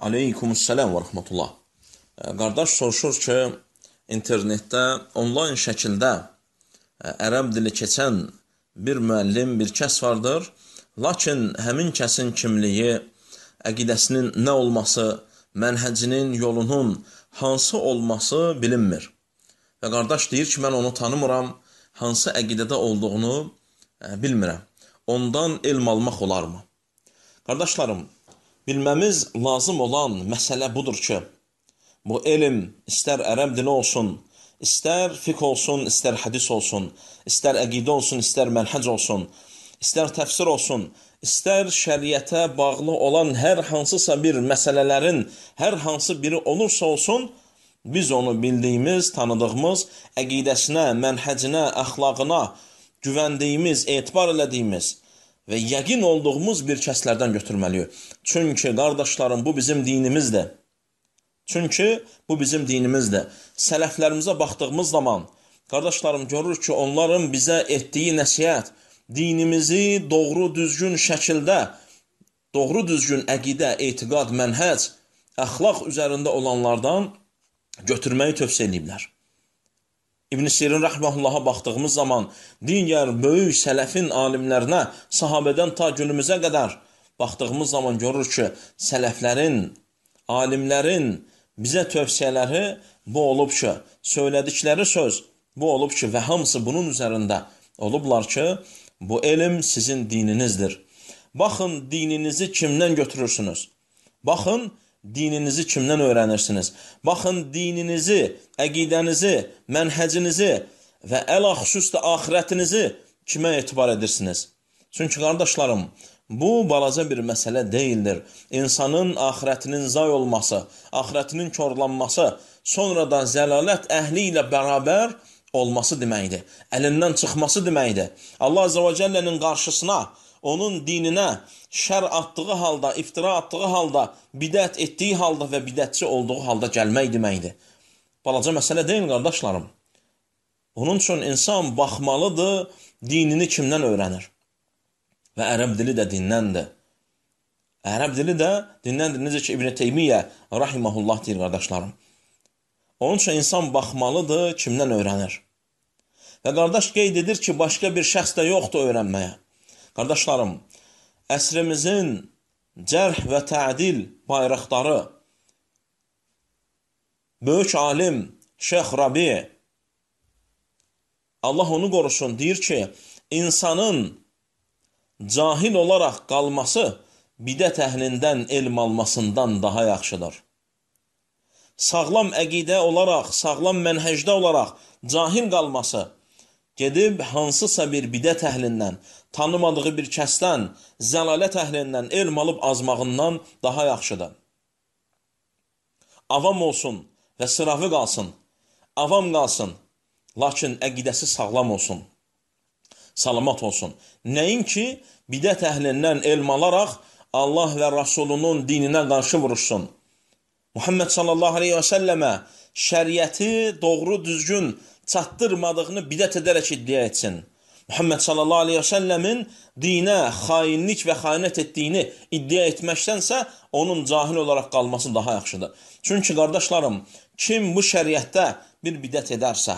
Aleykumussalam və rəhmətullah. Qardaş soruşur ki, internetdə onlayn şəkildə ərəb dili keçən bir müəllim, bir kəs vardır. Lakin həmin kəsin kimliyi, əqidəsinin nə olması, mənhəcinin, yolunun hansı olması bilinmir. Və qardaş deyir ki, mən onu tanımıram, hansı əqidədə olduğunu bilmirəm. Ondan elm almaq olarmı? Qardaşlarım, bilməmiz lazım olan məsələ budur ki, bu elm istər ərəb dili olsun, istər fiqh olsun, istər hədis olsun, istər əqidə olsun, istər mənhəc olsun, istər təfsir olsun, istər şəriətə bağlı olan hər hansısa bir məsələlərin hər hansı biri olursa olsun, biz onu bildiyimiz, tanıdığımız, əqidəsinə, mənhəcinə, əxlaqına güvəndiyimiz, etibar elədiyimiz və yəqin olduğumuz bir kəslərdən götürməliyik. Çünki, qardaşlarım, bu bizim dinimizdir. Sələflərimizə baxdığımız zaman, qardaşlarım, görürük ki, onların bizə etdiyi nəsihət, dinimizi doğru düzgün şəkildə, doğru düzgün əqidə, etiqad, mənhəc, əxlaq üzərində olanlardan götürməyi tövsiyə ediblər. İbn Sirin rəhməhullaha baxdığımız zaman, digər böyük sələfin alimlərinə, sahabədən ta günümüzə qədər baxdığımız zaman görürük ki, sələflərin, alimlərin bizə tövsiyələri bu olub ki, söylədikləri söz bu olub ki, və hamısı bunun üzərində olublar ki, bu elm sizin dininizdir. Baxın, dininizi kimdən götürürsünüz? Baxın, dininizi kimdən öyrənirsiniz? Baxın, dininizi, əqidənizi, mənhəcinizi və əl-xüsusda axirətinizi kimə etibar edirsiniz? Çünki, qardaşlarım, bu balaca bir məsələ deyildir. İnsanın axirətinin zay olması, axirətinin korlanması, sonra da zəlalət əhli ilə bərabər olması deməkdir. Əlindən çıxması deməkdir. Allah Azze və Cəllənin qarşısına, onun dininə şər atdığı halda, iftira atdığı halda, bidət etdiyi halda və bidətçi olduğu halda gəlmək deməkdir. Balaca məsələ deyil, qardaşlarım. Onun üçün insan baxmalıdır, dinini kimdən öyrənir? Və ərəb dili də dindəndir. Ərəb dili də dindəndir. Necə ki, İbn Teymiyyə rahiməhullah deyir, qardaşlarım. Onun üçün insan baxmalıdır, kimdən öyrənir? Və qardaş qeyd edir ki, başqa bir şəxs də yoxdur öyrənməyə. Qardaşlarım, əsrimizin cərh və tə'dil bayraqdarı, böyük alim Şeyx Rabi, Allah onu qorusun, deyir ki, insanın cahil olaraq qalması bidət əhlindən elm almasından daha yaxşıdır. Sağlam əqidə olaraq, sağlam mənhəcdə olaraq cahil qalması, gedib hansısa bir bidət əhlindən, tanımadığı bir kəsdən, zəlalət əhlindən elm alıb azmağından daha yaxşıdır. Avam olsun və sıravi qalsın, avam qalsın, lakin əqidəsi sağlam olsun, salamat olsun. Nəinki bidət əhlindən elm alaraq Allah və Rasulunun dininə qarşı vuruşsun. Muhammed sallallahu aleyhi və səlləmə şəriəti doğru düzgün çatdırmadığını bidət edərək iddia etsin. Muhammed sallallahu aleyhi və səlləmin dinə xainlik və xəyanət etdiyini iddia etməkdənsə, onun cahil olaraq qalması daha yaxşıdır. Çünki, qardaşlarım, kim bu şəriətdə bir bidət edərsə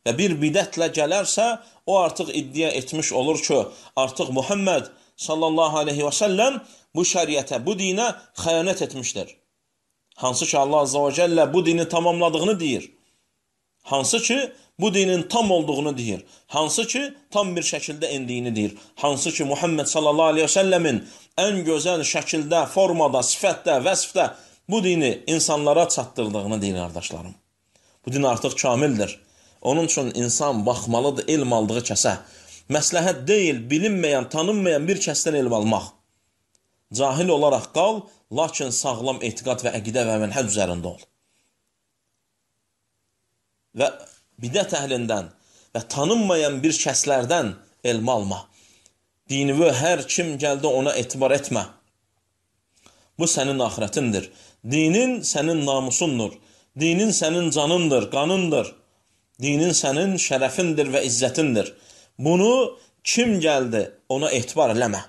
və bir bidətlə gələrsə, o artıq iddia etmiş olur ki, artıq Muhammed sallallahu aleyhi və səlləm bu şəriətə, bu dinə xəyanət etmişdir. Hansı ki, Allah Azze və Cəllə bu dini tamamladığını deyir. Hansı ki, bu dinin tam olduğunu deyir. Hansı ki, tam bir şəkildə endiyini deyir. Hansı ki, Muhammed sallallahu aleyhi və səlləmin ən gözəl şəkildə, formada, sifətdə, vəsfdə bu dini insanlara çatdırdığını deyir, qardaşlarım. Bu din artıq kamildir. Onun üçün insan baxmalıdır elm aldığı kəsə. Məsləhət deyil, bilinməyən, tanınmayan bir kəsdən elm almaq. Cahil olaraq qal, lakin sağlam etiqad və əqidə və mənhəc üzərində ol. Və bidət əhlindən və tanınmayan bir kəslərdən elm alma. Dinivi hər kim gəldi ona etibar etmə. Bu sənin axirətindir. Dinin sənin namusundur. Dinin sənin canındır, qanındır. Dinin sənin şərəfindir və izzətindir. Bunu kim gəldi ona etibar eləmə.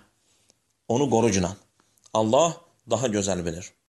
Onu qoru günah. Allah daha gözəl bilir.